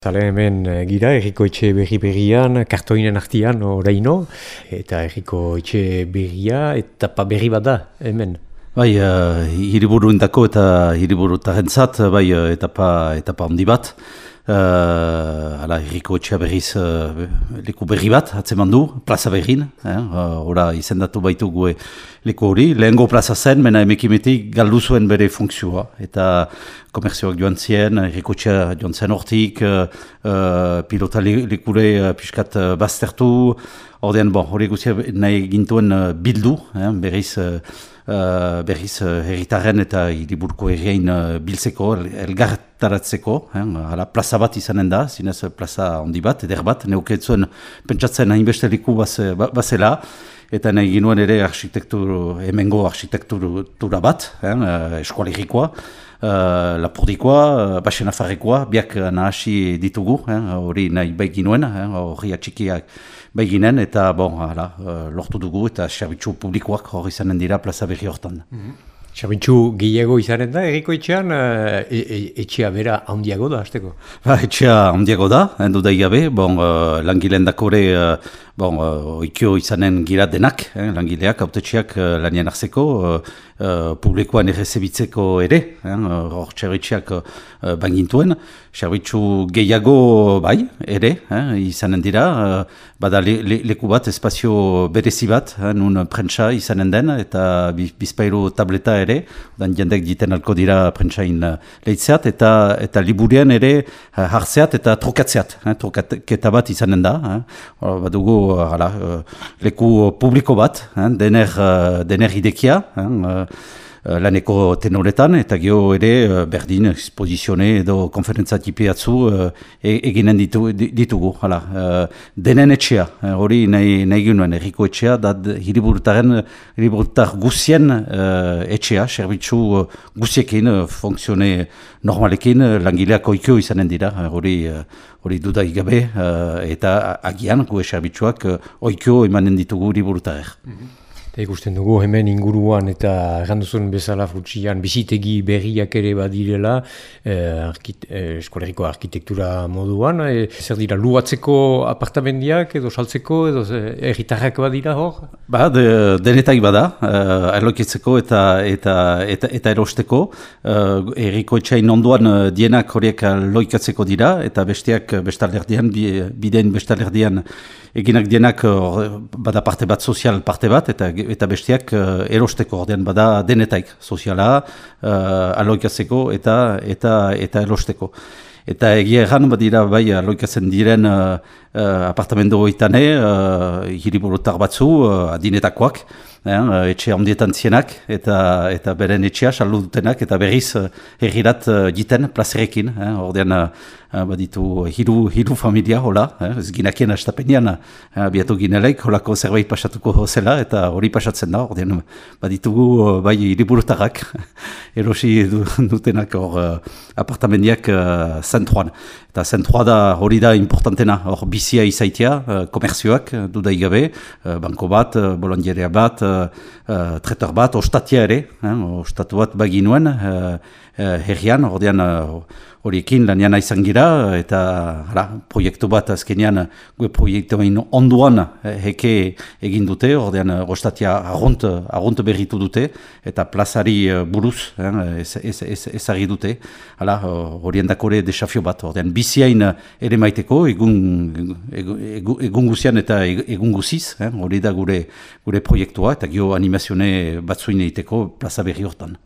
Biztale hemen gira, Herriko Etxe berrian, kartoinen artian oraino, eta Herriko Etxe berria, etapa berri bat da hemen. Bai, hiriburuindako eta hiriburutarentzat, bai, etapa handi bat. Herriko Etxea berriz leku berri bat, atzeman du, plaza berrin. Hora izendatu baitugu leku hori. Lehengo plaza zen, mena emekimetik galdu zuen bere funkzioa. Eta komerzioak joan zien, Herriko Etxea joan zen hortik, pilota lekure piskat baztertu. Ordean, hori guztia nahi gintuen bildu, berriz herritarren eta hiriburuko herrien biltzeko, elgartaratzeko. Plaza bat izanen da, zinez plaza handi bat, eder bat, neuketzuen pentsatzen hainbeste liku bazela, eta nahi ginuen ere hemengo arkitektura bat, eskualerikoa, lapurdikoa, Baxenafarrekoa, biak nahasi ditugu, hori nahi bai ginuen, hori atxikiak bai ginen, eta lortu dugu, eta zerbitzu publikoak hori izanen dira plaza berri hortan. Zerbitzu gehiago izanen da, Herriko Etxean, etxea bera handiago da, hasteko? Etxea handiago da, duda igabe, langileen dakore, oikio izanen gira denak, langileak, autetxeak lanien arzeko, publikoan errezebitzeko ere, hor zerbitziak bangintuen, zerbitzu gehiago bai, ere, izanen dira, bada leku bat, espazio berezi bat, nun prentsa izanen den, eta bizpailu tableta ere, dan jendek diten alko dira prentsain lehitzeat, eta liburien ere hartzeat eta trokatzeat, trokaketa bat izanen da, badugu leku publiko bat, dener idekia, laneko tenoretan, eta geho ere berdin esposizione edo konferentzatipe atzu eginen ditugu. Denen etxea, hori nahi ginuen, Herriko Etxea, da hiriburutar guzien etxea, zerbitzu guziekin, funkzione normalekin, langileak oikio izanen dira, hori dudaik gabe, eta agian gu zerbitzuak oikio emanen ditugu hiriburutarer. Ikusten dugu hemen inguruan eta erranduzun bezala futsian bizitegi berriak ere badirela eskoleriko arkitektura moduan. Zer dira, luatzeko apartamendiak edo saltzeko edo herritarrak badira hor? Denetak bada, erlokitzeko eta erosteko. Herriko Etxeain ondoan dienak horiek loikatzeko dira eta besteak bestalderdian, bidein bestalderdian eginak dienak bada parte bat, sozial parte bat, eta besteak erosteko, ordean bada denetaik, soziala, aloikatzeko eta erosteko. Eta egia erran badira bai aloikatzen diren apartamendu hoitane, hiriburutar batzu, adinetakoak, etxe handietan zienak, eta beren etxea saldu dutenak, eta berriz herrirat jiten plazerekin, ordean baditu hiru familia, hola, ez ginakien astapenian, biatu ginelaik, holako zerbait pasatuko zela, eta hori pasatzen da, ordean baditugu bai hiriburutarak, erosi dutenak hor apartamendiak zentroan. Eta zentroa da hori da importantena, hor bizia izaitia, komerzioak dudaigabe, banko bat, bolondierea bat, tretor bat, ostatia ere, ostatu bat baginuen, herrian, ordean horiekin lanian izan gira, eta proiektu bat azkenean, gue proiektuain onduan heke egin dute, ordean ostatia arrunt berritu dute, eta plazari buruz ezagri dute, horien dakore desafio bat, ordean biziain ere maiteko, egun guzian eta egun guziz, hori da gure proiektua, eta gio animazione batzuin egiteko plaza berri hortan.